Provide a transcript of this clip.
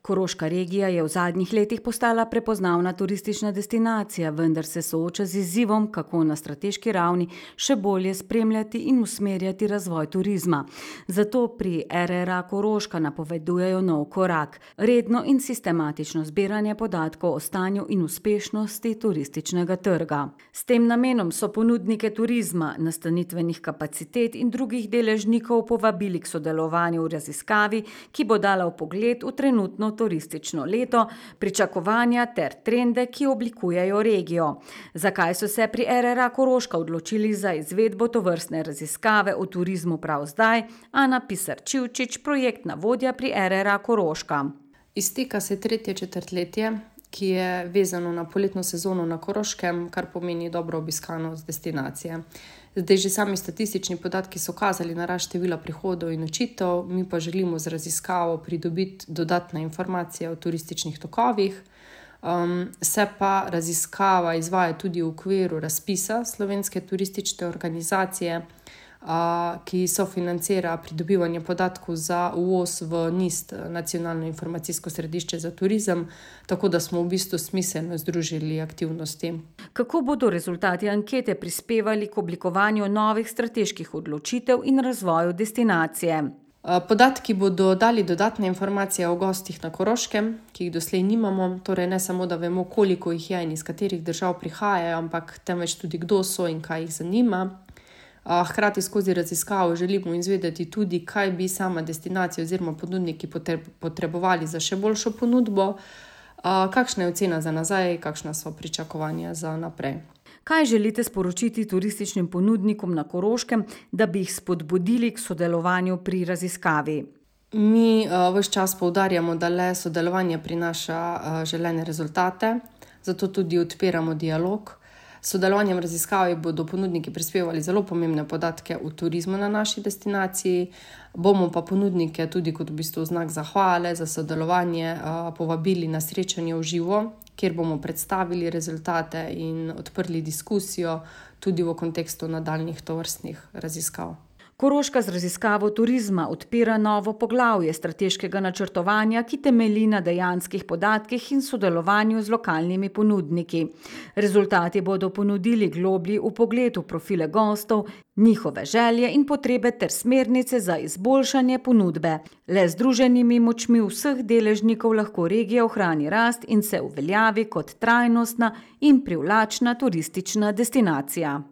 Koroška regija je v zadnjih letih postala prepoznavna turistična destinacija, vendar se sooča z izzivom, kako na strateški ravni še bolje spremljati in usmerjati razvoj turizma. Zato pri RRA Koroška napovedujejo nov korak: redno in sistematično zbiranje podatkov o stanju in uspešnosti turističnega trga. S tem namenom so ponudnike turizma, nastanitvenih kapacitet in drugih deležnikov povabili k sodelovanju v raziskavi, ki bo dala vpogled v trenutno turistično leto, pričakovanja ter trende, ki oblikujejo regijo. Zakaj so se pri RRA Koroška odločili za izvedbo tovrstne raziskave o turizmu prav zdaj? Ana Pisar-Čivčič, projektna vodja pri RRA Koroška. Izteka se tretje četrtletje, ki je vezano na poletno sezono na Koroškem, kar pomeni dobro obiskanost destinacije. Zdaj že sami statistični podatki so kazali na rast števila prihodov in nočitev, mi pa želimo z raziskavo pridobiti dodatne informacije o turističnih tokovih. Se pa raziskava izvaja tudi v okviru razpisa Slovenske turistične organizacije, ki sofinancira pridobivanje podatkov za uvoz v NIST, Nacionalno informacijsko središče za turizem, tako da smo v bistvu smiselno združili aktivnosti. Kako bodo rezultati ankete prispevali k oblikovanju novih strateških odločitev in razvoju destinacije? Podatki bodo dali dodatne informacije o gostih na Koroškem, ki jih doslej nimamo, torej ne samo, da vemo, koliko jih je in iz katerih držav prihajajo, ampak temveč tudi kdo so in kaj jih zanima. Hkrati skozi raziskavo želimo izvedeti tudi, kaj bi sama destinacija oziroma ponudniki potrebovali za še boljšo ponudbo, kakšna je ocena za nazaj, kakšna so pričakovanja za naprej. Kaj želite sporočiti turističnim ponudnikom na Koroškem, da bi jih spodbudili k sodelovanju pri raziskavi? Mi ves čas poudarjamo, da le sodelovanje prinaša želene rezultate, zato tudi odpiramo dialog. S sodelovanjem raziskavi bodo ponudniki prispevali zelo pomembne podatke o turizmu na naši destinaciji, bomo pa ponudnike tudi kot v bistvu znak zahvale za sodelovanje povabili na srečanje v živo, kjer bomo predstavili rezultate in odprli diskusijo tudi v kontekstu nadaljnjih tovrstnih raziskav. Koroška z raziskavo turizma odpira novo poglavje strateškega načrtovanja, ki temelji na dejanskih podatkih in sodelovanju z lokalnimi ponudniki. Rezultati bodo ponudili globlji vpogled v profile gostov, njihove želje in potrebe ter smernice za izboljšanje ponudbe. Le z združenimi močmi vseh deležnikov lahko regija ohrani rast in se uveljavi kot trajnostna in privlačna turistična destinacija.